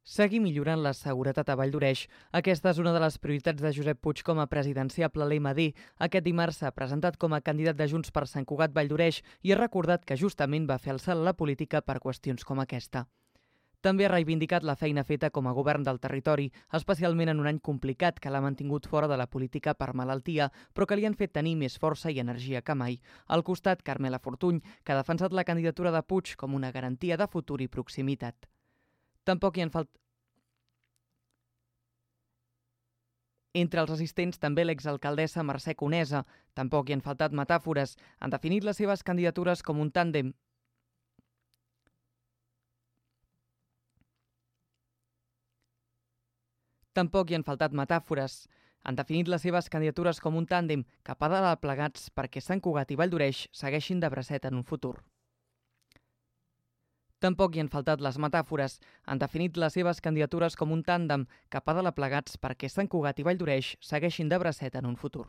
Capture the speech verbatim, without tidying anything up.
Seguir millorant la seguretat a Valldoreix. Aquesta és una de les prioritats de Josep Puig com a presidenciable a l'M D. Aquest dimarts s'ha presentat com a candidat de Junts per Sant Cugat Valldoreix i ha recordat que justament va fer el salt a la política per qüestions com aquesta. També ha reivindicat la feina feta com a govern del territori, especialment en un any complicat que l'ha mantingut fora de la política per malaltia, però que li han fet tenir més força i energia que mai. Al costat, Carmela Fortuny, que ha defensat la candidatura de Puig com una garantia de futur i proximitat. Tampoc hi han faltat... Entre els assistents també l'exalcaldessa Mercè Conesa. Tampoc hi han faltat metàfores. Han definit les seves candidatures com un tàndem. Tampoc hi han faltat metàfores. Han definit les seves candidatures com un tàndem cap a dalt plegats perquè Sant Cugat i Valldoreix segueixin de bracet en un futur. Tampoc hi han faltat les metàfores. Han definit les seves candidatures com un tàndem cap a dalt plegats perquè Sant Cugat i Valldoreix segueixin de bracet en un futur.